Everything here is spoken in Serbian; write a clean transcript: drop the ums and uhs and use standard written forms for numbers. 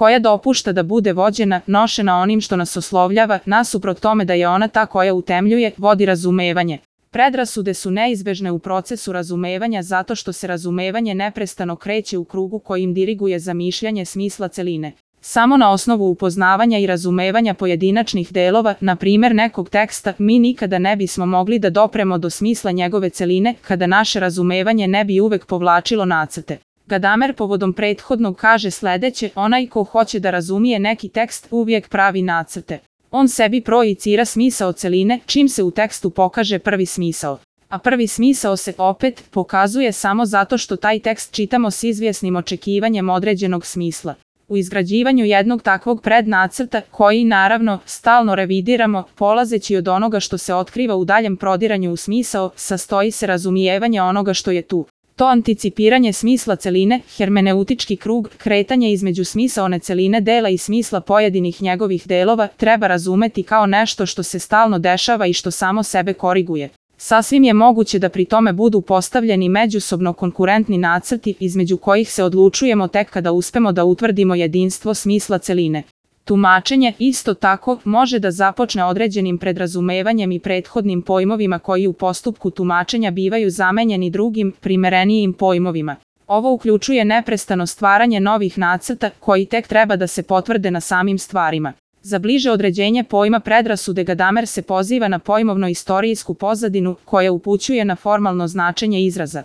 koja dopušta da bude vođena, nošena onim što nas oslovljava, nasuprot tome da je ona ta koja utemljuje, vodi razumevanje. Predrasude su neizbežne u procesu razumevanja zato što se razumevanje neprestano kreće u krugu kojim diriguje zamišljanje smisla celine. Samo na osnovu upoznavanja i razumevanja pojedinačnih delova, na primjer nekog teksta, mi nikada ne bismo mogli da dopremo do smisla njegove celine, kada naše razumevanje ne bi uvek povlačilo nacrte. Gadamer povodom prethodnog kaže sledeće: onaj ko hoće da razumije neki tekst uvijek pravi nacrte. On sebi projicira smisao celine čim se u tekstu pokaže prvi smisao. A prvi smisao se opet pokazuje samo zato što taj tekst čitamo s izvjesnim očekivanjem određenog smisla. U izgrađivanju jednog takvog prednacrta, koji naravno stalno revidiramo, polazeći od onoga što se otkriva u daljem prodiranju u smisao, sastoji se razumijevanje onoga što je tu. To anticipiranje smisla celine, hermeneutički krug, kretanje između smisaone celine dela i smisla pojedinih njegovih delova, treba razumeti kao nešto što se stalno dešava i što samo sebe koriguje. Sasvim je moguće da pri tome budu postavljeni međusobno konkurentni nacrti, između kojih se odlučujemo tek kada uspemo da utvrdimo jedinstvo smisla celine. Tumačenje, isto tako, može da započne određenim predrazumevanjem i prethodnim pojmovima koji u postupku tumačenja bivaju zamenjeni drugim, primerenijim pojmovima. Ovo uključuje neprestano stvaranje novih nacrta koji tek treba da se potvrde na samim stvarima. Za bliže određenje pojma predrasude Gadamer se poziva na pojmovno-istorijsku pozadinu koja upućuje na formalno značenje izraza.